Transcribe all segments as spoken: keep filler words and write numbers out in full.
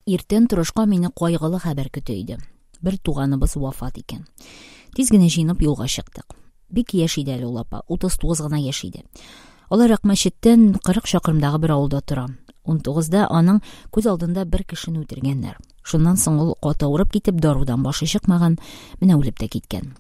Иртән торышка мине кайгылы хәбәр көтә иде. Бер туганыбыз вафат икән. Тиз генә җыенып юлга чыктык. Бик яшь иде әле ул апа, утыз тугыз гына яшь иде. Алар Акмәчеттән кырык чакрымдагы бер авылда тора. Унтугызда аның күз алдында бер кешене үтергәннәр. Шуннан соң ул каты авырып китеп, дарудан башы чыкмаган, менә үлеп тә киткән.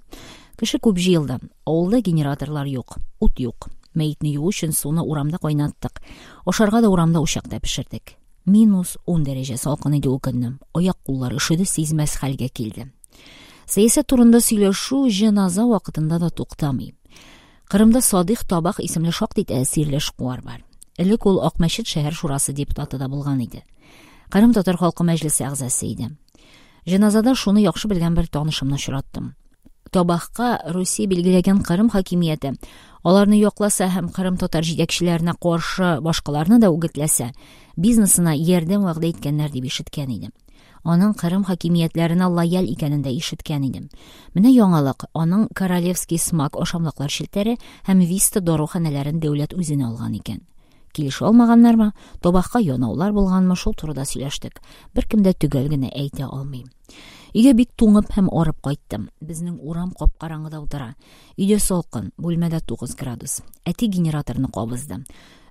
Кеше күп җыелды. Авылда генераторлар юк, ут юк. Мәетне юу өчен суны урамда кайнаттык. Ашарга да урамда учакта пешердек. Минус ун дәрәҗә салкын иде ул көнне. Аяк-куллар өшеде, сизмәс хәлгә килде. Сәясәт турында сөйләшү җеназа вакытында да туктамый. Кырымда Садыйх Табах исемле шактый тәэсирле эшкуар бар. Элек ул Акмәчет шәһәр шурасы депутаты да булган иде. Кырым татар халкы мәҗлесе әгъзасы иде. Җеназада шуны яхшы белгән бер танышымны очраттым. Табахка Русия билгеләгән Кырым хакимияте аларны якласа һәм Кырым татар җитәкчеләренә каршы башкаларны да үгетләсә, бизнесына ярдәм вәгъдә иткәннәр дип ишеткән идем. Аның Кырым хакимиятләренә лояль икәнен дә ишеткән идем. Менә яңалык, аның Королевский смак ашамлыклар челтәре һәм Виста даруханәләрен дәүләт үзенә алган икән. Килешә алмаганнармы, Табахка янаулар булганмы, шул турыда сөйләштек. Беркем дә төгәл генә әйтә алмый. Өйгә бик туңып һәм арып кайттым. Безнең урам кап-караңгыда утыра. Өйдә салкын, бүлмәдә тугыз градус. Әти генераторны кабызды.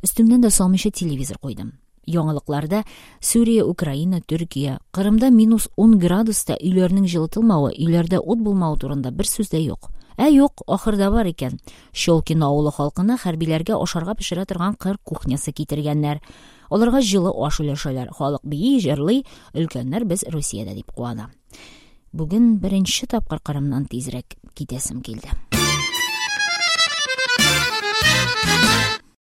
Өстемнән дә салмыйча телевизор куйдым. Яңалыкларда Сүрия, Украина, Төркия, Кырымда минус ун градуста өйләрнең җылытылмавы, өйләрдә ут булмавы турында бер сүз дә юк. Ә юк, ахырда бар икән. Щелкино авылы халкына хәрбиләргә ашарга пешерә торган кыр кухнясы китергәннәр. Аларга җылы аш өләшәләр. Халык бии, җырлый, өлкәннәр без Русиядә дип куана. Бүген беренче тапкыр Кырымнан тизрәк китәсем килде.